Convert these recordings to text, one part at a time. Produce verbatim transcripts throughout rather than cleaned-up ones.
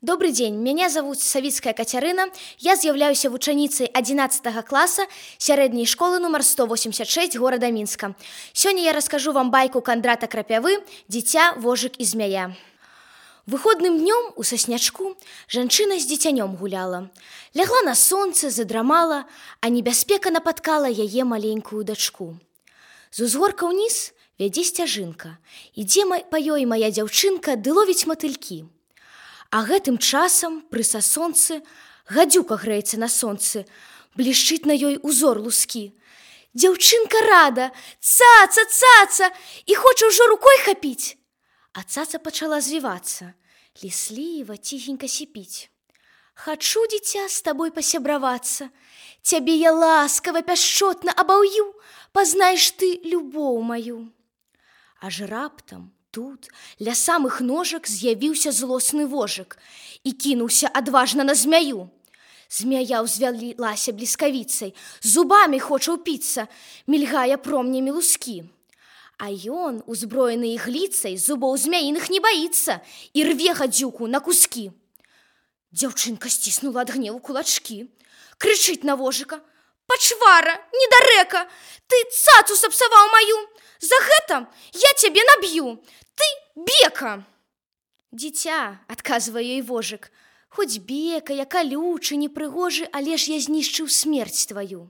Добрый день, меня зовут Савицкая Катерина, я з'являюся вучаніцай одиннадцатого класса сярэдняй школы номер сто восемьдесят шесть города Минска. Сегодня я расскажу вам байку Кондрата Крапявы «Дитя, вожик и змяя». Выходным днем у соснячку жанчына з дзіцянём гуляла. Лягла на сонце, задрамала, а небяспека напаткала яе маленькую дачку. З узгорка ўніз вядзе сцяжынка. Ідзе па ёй мая дзяўчынка ды ловіць матылькі. А гэтым часам пры сасонцы гадзюка грэецца на сонцы, блішчыць на ёй узор лускі. Дзяўчынка рада, цаца, цаца, і хоча ўжо рукой хапіць. А цаца пачала звівацца, лісліва, ціхенька сіпіць. Хачу, дзіця, з табой пасябравацца, цябе я ласкава, пяшчотна абаўю, пазнаеш ты любоў маю. Аж раптам тут ля самых ножак з'явіўся злосны вожык і кінуўся адважна на змяю. Змяя ўзвялілася бліскавіцай, зубамі хоча ўпіцца, мільгае промнямі лускі. А ён, узброены ігліцай, зубоў змяіных не баіцца і рве гадзюку на кускі. Дзяўчынка сціснула ад гневу кулачкі, крычыць на вожыка: «Пачвара, недарэка, ты цацу сапсаваў маю! За гэта я цябе наб'ю! Ты бека!» «Дзіця», — адказвае ёй вожык, «хоць бека, я калючы, непрыгожы, але ж я знішчыў смерць тваю.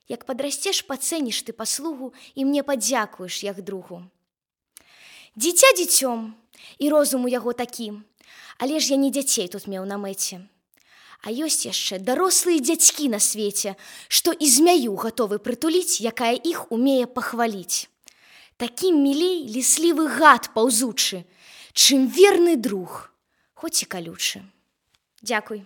Як падрасцеш, пацэніш ты паслугу і мне падзякуеш, як другу». Дзіця дзіцём, і розум у яго такі, але ж я не дзяцей тут меў на мэце. А ёсць яшчэ дарослыя дзядзькі на свеце, што і змяю гатовы прытуліць, якая іх умее пахваліць. Такім мілей ліслівы гад паўзучы, чым верны друг, хоць і калючы. Дзякуй.